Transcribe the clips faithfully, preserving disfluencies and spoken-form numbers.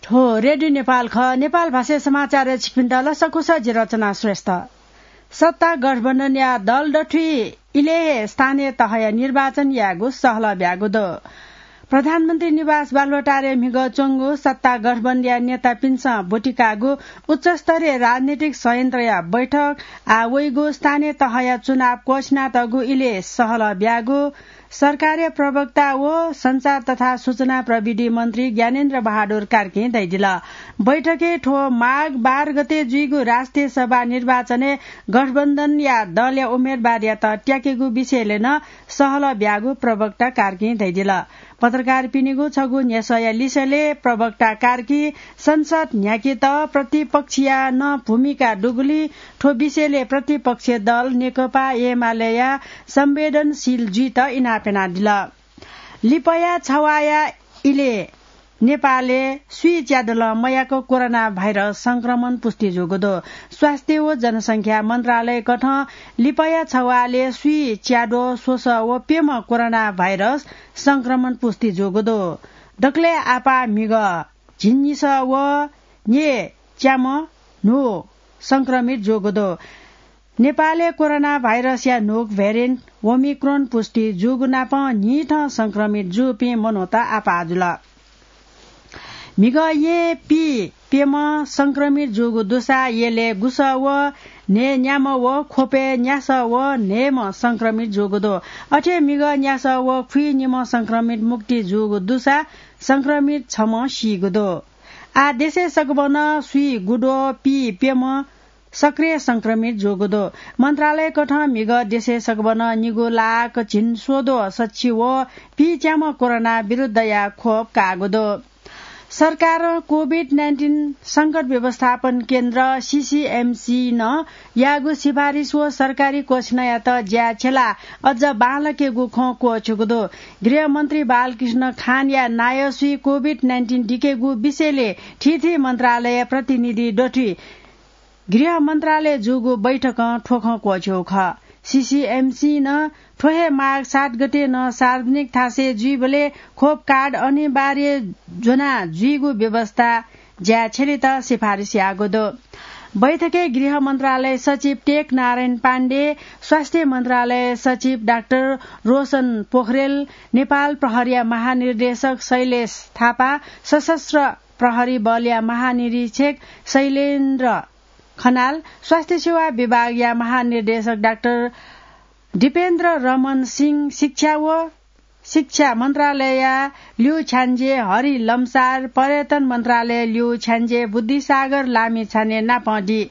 थ्व रेडियो नेपाल खः। नेपाल भाषाया समाचारय् छिकपिन्त लसकुस, जि रचना श्रेष्ठ। सत्ता गठबन्धनया दल दथुइ इलय् हे स्थानीय तहया निर्वाचन यायेगु सहलह ब्यागु दु। प्रधानमन्त्री निवास बालुवाटारय् म्हिगः च्वंगु सत्ता गठबन्धनया नेतापिन्सं ब्वति काःगु उच्चस्तरीय राजनीतिक संयन्त्रया बैठक आः वइगु स्थानीय तहया चुनाव क्वःछिनातःगु इलय् सहलह ब्यागु सरकारया प्रवक्ता व सञ्चार तथा सूचना प्रविधि मन्त्री ज्ञानेन्द्र बहादुर कार्कीं धयादिल। बैठकय् थ्व माघ बाह्र गते जुइगु राष्ट्रिय सभा निर्वाचनय् गठबन्धनया दलया उम्मेदवारयात त्याकेगु विषयलय् नं सहलह ब्यागु प्रवक्ता कार्कीं धयादिल। पत्रकारपिनिगु छगू न्ह्यसःया लिसयलय् प्रवक्ता कार्कीं संसद न्ह्याकेत प्रतिपक्षया नं भूमिका दुगुलिं थ्व विषयलय् प्रतिपक्षी दल नेकपा एमालेया संवेदनशील जुइत इनाप यानादिल। लिपया छवाःया इलय् नेपालय् स्वीच्यादलं मयाक कोरोना भाइरस संक्रमण पुष्टि जूगु दु। स्वास्थ्य व जनसंख्या मन्त्रालयकथं लिपया छवालय् स्वीच्याद्वः स्वसः व प्यम्ह कोरोना भाइरस संक्रमण पुष्टि जूगु दु। दकलय् आपाः म्हिगः झिंनिसः व न्यय् च्याम्ह न्हू संक्रमित जूगु दु। नेपालय् कोरोना भाइरसया न्हूक भेरिएन्ट ओमिक्रोन पुष्टि जूगु नापं न्हिथं संक्रमित जूपिं मनूत आपाः जुल। म्हिगः येँ पीप्यम्ह संक्रमित जूगु दुसा यलय् गुसः व न्हय् न्याम्ह व ख्वपय् न्यासः व न्हय्म्ह संक्रमित जूगु दु। अथे म्हिगः न्यासः व खुइनिम्ह संक्रमित मुक्ति जूगु दुसा संक्रमित छम्ह सीगु दु। आः देशय् सकभनं स्वीगुद्वः पीप्यम्ह सक्रिय संक्रमित जूगु दु। मन्त्रालयकथं म्हिगः देशय् सकभनं निगू लाख झिंस्वद्वः सच्छि व पीच्याम्ह कोरोना विरुद्धया खोप काःगु दु। सरकारं कोभिड नाइन्टिन संकट व्यवस्थापन केन्द्र, सीसीएमसी, नं याःगु सिफारिस व सरकारी क्वःछिनयात ज्याय् छ्यलाः अझ बांलाकेगु खँ क्वःछ्यूगु दु। गृहमन्त्री बालकृष्ण खानया नायःसुइ कोभिड नाइन्टिन दिकेगु विषयलय् थीथी मन्त्रालय प्रतिनिधि दथुइ गृह मन्त्रालय जूगु बैठकं थ्व खँ क्वःछ्यूगु खः। सीसीएमसीं नं थ्व हे माघ सात गते नं सार्वजनिक थासय् जुइबलय् खोप कार्ड अनिवार्य ज्वना जुइगु व्यवस्था ज्याय् छ्यलेत सिफारिस याःगु दु। बैठकय् गृह मन्त्रालय सचिव टेक नारायण पाण्डे, स्वास्थ्य मन्त्रालय सचिव डाक्टर रोशन पोखरेल, नेपाल प्रहरीया महानिर्देशक शैलेश थापा, सशस्त्र प्रहरी बलया महानिरीक्षक शैलेन्द्र खनाल, स्वास्थ्य सेवा विभागया महानिर्देशक डाक्टर दीपेन्द्र रमन सिंह, शिक्षा व शिक्षा मन्त्रालयया ल्यू छ्याञ्जे हरि लम्सार, पर्यटन मन्त्रालय ल्यू छ्याञ्जे बुद्धिसागर लामिछाने नापं दी।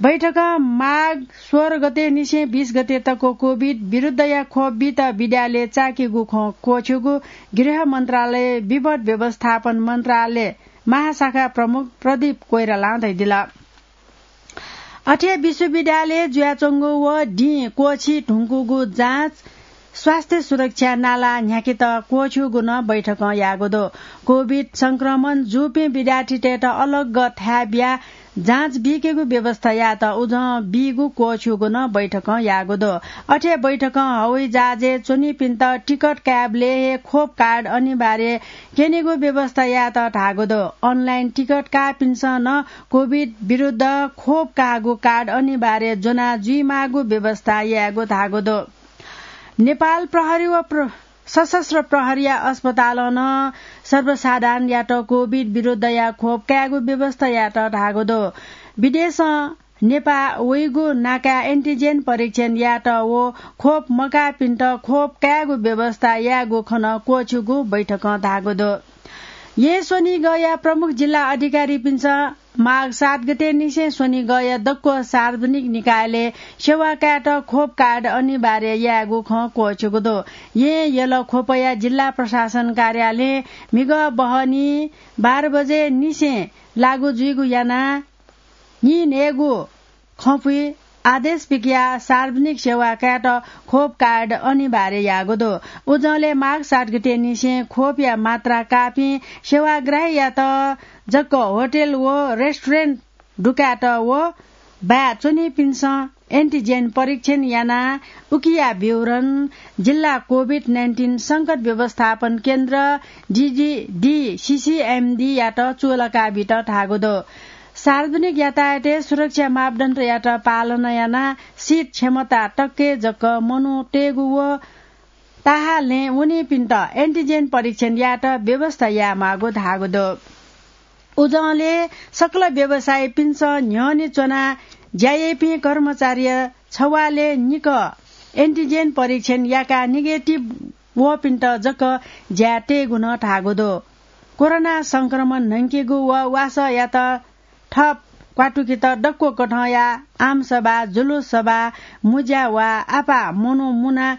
बैठकं माघ सोह्र गते निसें बीस गते तक कोभिड विरुद्धया खोप बीत विद्यालय चाकीगु खँ क्वःछ्यूगु गृह मन्त्रालय विपद व्यवस्थापन मन्त्रालय महाशाखा प्रमुख प्रदीप कोइरालां धयादिल। अथे विश्वविद्यालय जुयाच्वंगु व दिं क्वःछी धुंकूगु जाँच स्वास्थ्य सुरक्षा नाला न्ह्याकेत क्वःछ्यूगु नं बैठकं याःगु दु। कोभिड संक्रमण जूपिं विद्यार्थीतय्त अलग थाय् बियाः जाँच बीकेगु व्यवस्था यायेत उजं बीगु क्वःछ्यूगु नं बैठकं याःगु दु। अथे बैठकं हवाईजहाजय् च्वनीपिन्त टिकट कायेबलय् हे खोप कार्ड अनिवार्य क्यनेगु व्यवस्था यायेत धाःगु दु। अनलाइन टिकट काःपिन्सं नं कोभिड विरुद्ध खोप काःगु कार्ड अनिवार्य ज्वना जुइमाःगु व्यवस्था यायेगु धाःगु दु। नेपाल प्रहरी व प्र-, सशस्त्र प्रहरीया अस्पतालं नं सर्वसाधारणयात कोभिड विरुद्धया खोप कायेगु व्यवस्था यायेत धाःगु दु। विदेशं नेपाः वइगु नाकाय् एन्टिजेन परीक्षण यायेत व खोप मकाःपिन्त खोप कायेगु व्यवस्था यायेगु खँ नं क्वःछ्यूगु बैठकं धाःगु दु। येँ स्वनिगःया प्रमुख जिल्ला अधिकारीपिन्सं माघ सात गते निसें स्वनिगःया दक्व सार्वजनिक निकायलय् सेवा कायेत खोप कार्ड अनिवार्य यायेगु खँ क्वःछ्यूगु दु। येँ यल ख्वपया जिल्ला प्रशासन कार्यालयं म्हिगः बहनी बाह्र बजे निसें लागू जुइगु यानाः नीन्हय्गू खँपुइ आदेश पिकयाः सार्वजनिक सेवा कायेत खोप कार्ड अनिवार्य याःगु दु। उजंलय् माघ सात गते निसें खोपया मात्रा काःपिं सेवाग्राहीयात जक होटल व रेस्टुरेन्ट दुकायेत व बाय् च्वनीपिन्सं एन्टिजेन परीक्षण यानाः उकिया विवरण जिल्ला कोभिड नाइन्टिन संकट व्यवस्थापन केन्द्र, डिडिडी, सिसिएमडीयात चूलाका बीत धाःगु दु। सार्वजनिक यातायातय् सुरक्षा मापदण्डयात पालना यानाः सीट क्षमता तक्के जक मनू तयेगु व ताहालय् वनीपिन्त एन्टिजेन परीक्षण यायेत व्यवस्था यायेमाःगु धाःगु दु। उजंलय् सकल व्यवसायीपिन्सं न्ह्यःने च्वनाः ज्या याइपिं कर्मचारीया छवालय् निकः एन्टिजेन परीक्षण याकाः नेगेटिभ वःपिन्त जक ज्याय् तयेगु नं धाःगु दु। कोरोना संक्रमण न्हंकेगु व वासःयात थप क्वातुकेत दक्व कथंया आमसभा, जुलुस सभा, मुँज्या वा आपाः मनू मुना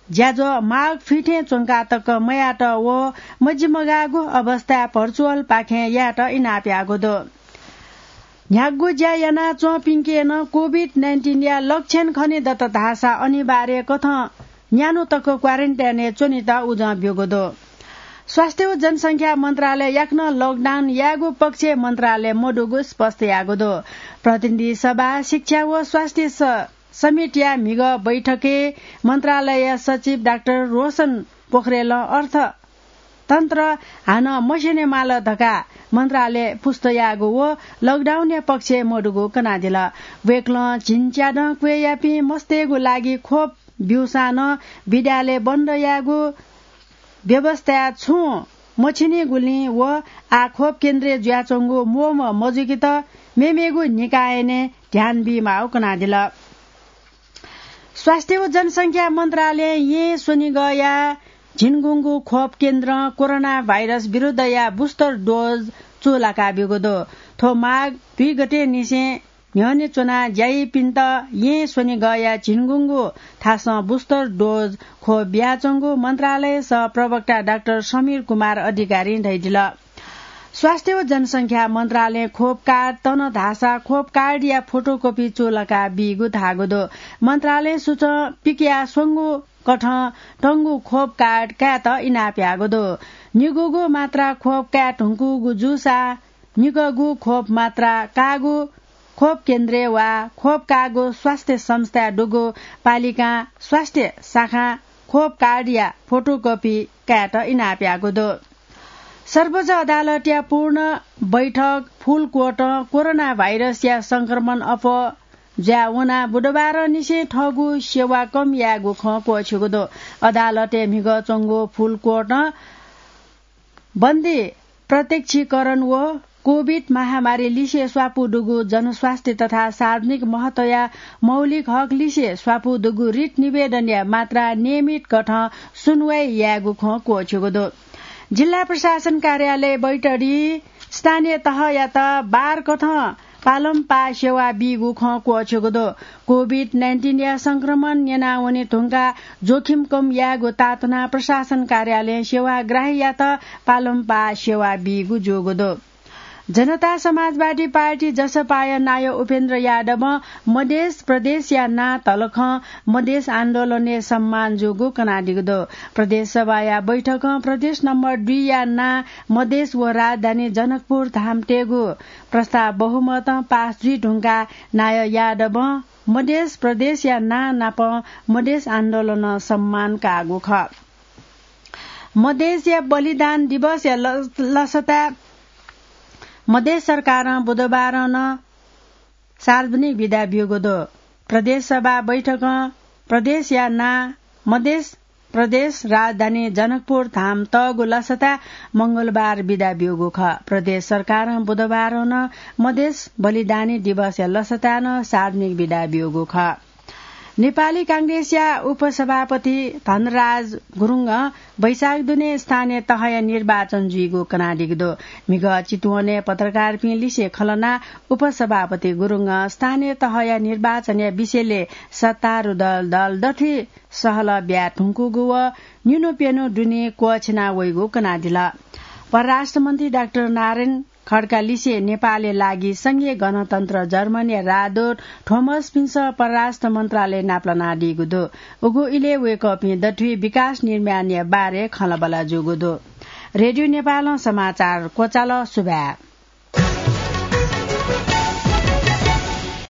ज्याझ्वः माग फिथें च्वंका तक मयात व मजिमगाःगु अवस्थाय् भर्चुअलपाखें यायेत इनाप याःगु दु। न्ह्यागु ज्या यानाच्वंपिन्के नं कोभिड नाइन्टिनया लक्षण खने दत धाःसा अनिवार्य कथं न्यान्हु तक क्वारेन्टाइनय् च्वनेत उजं ब्यूगु दु। स्वास्थ्य व जनसंख्या मन्त्रालय याकनं लकडाउन यायेगु पक्षय् मन्त्रालय मदुगु स्पष्ट याःगु दु। प्रतिनिधि सभा, शिक्षा व स्वास्थ्य स-, समितिया म्हिगः बैठकय् मन्त्रालयया सचिव डाक्टर रोशन पोखरेलं अर्थतन्त्र हानं मस्यनेमाल धकाः मन्त्रालय पुष्ट याःगु व लकडाउनया पक्षय् मदुगु कनादिल। वय्कलं झिंच्यादँ क्वय्यापिं मस्तय्गु लागि खोप ब्यूसां नं विद्यालय बन्द यायेगु व्यवस्थाय् छुं मछिनिगुलिं व आः खोप केन्द्रय् जुयाच्वंगु म्वःम्वः मजुकेत मेमेगु निकायनय् ध्यान बीमाःगु कनादिल। स्वास्थ्य व जनसंख्या मन्त्रालयं येँ स्वनिगःया झिंगुंगू खोप केन्द्रं कोरोना भाइरस विरुद्धया बुस्टर डोज चूलाका ब्यूगु दु। थ्व माघ दुई गतेनिसें न्ह्यःने च्वनाः ज्या याइपिन्त येँ स्वनिगःया झिंगुंगू थासं बुस्टर डोज खोप बियाच्वंगु मन्त्रालय सह प्रवक्ता डाक्टर समीर कुमार अधिकारीं धयादिल। स्वास्थ्य व जनसंख्या मन्त्रालयं खोप कार्ड तन धाःसा खोप कार्डया फोटोकपि चूलाका बीगु धाःगु दु। मन्त्रालयं सूचं पिकया स्वंगू कथं तंगु खोप कार्ड कायेत इनाप याःगु दु। निगूगु मात्रा खोप काये धुंकूगु जूसा निकःगु खोप मात्रा काःगु खोप केन्द्रय् वा खोप काःगु स्वास्थ्य संस्थाय् दुगु पालिकां स्वास्थ्य शाखां खोप कार्डया फोटोकपि कायेत इनाप याःगु दु। सर्वोच्च अदालतया पूर्ण बैठक फुल कोर्टं कोरोना भाइरसया संक्रमण अप्वः जुया वनाः बुधबारंनिसें थःगु सेवा कम यायेगु खँ क्वःछ्यूगु दु। अदालतय् म्हिगः च्वंगु फुल कोर्टं बन्दी प्रत्यक्षीकरण व कोभिड महामारी लिसे स्वापू दुगु जनस्वास्थ्य तथा सार्वजनिक महत्वया मौलिक हक लिसे स्वापू दुगु रिट निवेदनया मात्रा नियमित कथं सुनुवाइ यायेगु खँ क्वःछ्यूगु दु। जिल्ला प्रशासन कार्यालय बैतडी स्थानीय तहयात बार कथं पालंपाः सेवा बीगु खँ क्वःछ्यूगु दु। कोभिड नाइन्टिनया संक्रमण न्यनावने धुंकाः जोखिम कम यायेगु तातुनाः प्रशासन कार्यालयं सेवाग्राहीयात पालंपाः सेवा बीगु जूगु दु। जनता समाजवादी पार्टी जसपाया नायः उपेन्द्र यादवं मधेस प्रदेशया नां तलखं मधेस आन्दोलनय् सम्मान जूगु कनादीगु दु। प्रदेश सभाया बैठकं प्रदेश नम्बर दुईया नां मधेस व राजधानी जनकपुर धाम तयेगु प्रस्ताव बहुमतं पास जुइ धुंकाः नायः यादवं मधेस प्रदेशया नां नाप मधेस आन्दोलनं सम्मान काःगु खः। मधेसया बलिदान दिवसया ल-, लसताय् मधेस सरकारं बुधबारं नं सार्वजनिक बिदा ब्यूगु दु। प्रदेश सभा बैठकं प्रदेशया नां मधेस प्रदेश राजधानी जनकपुर धाम तःगु लसताय् मंगलबार बिदा ब्यूगु खः। प्रदेश सरकारं बुधबारं नं मधेस बलिदानी दिवसया लसताय् नं सार्वजनिक बिदा ब्यूगु खः। नेपाली कांग्रेसया उपसभापति धनराज गुरुङं वैशाख दुने स्थानीय तहया निर्वाचन जुइगु कनादीगु दु। म्हिगः चितवनय् पत्रकारपिं लिसे खँल्हानाः उपसभापति गुरुङं स्थानीय तहया निर्वाचनया विषयलय् सत्तारूढ दल, दल दथुइ सहलह ब्याये धुंकूगु व निन्हु प्यन्हु दुने क्वःछिना वइगु कनादिल। परराष्ट्र मन्त्री डाक्टर नारायण खड्का लिसे नेपालया लागि संघीय गणतन्त्र जर्मनीया राजदूत थोमसपिन्सं परराष्ट्र मन्त्रालय नापलानादीगु दु। उगु इलय् वय्कःपिं दथुइ विकास निर्माणया बारे खँल्हाबल्हा जूगु दु। रेडियो नेपालं समाचार क्वचाल। सुभाय्।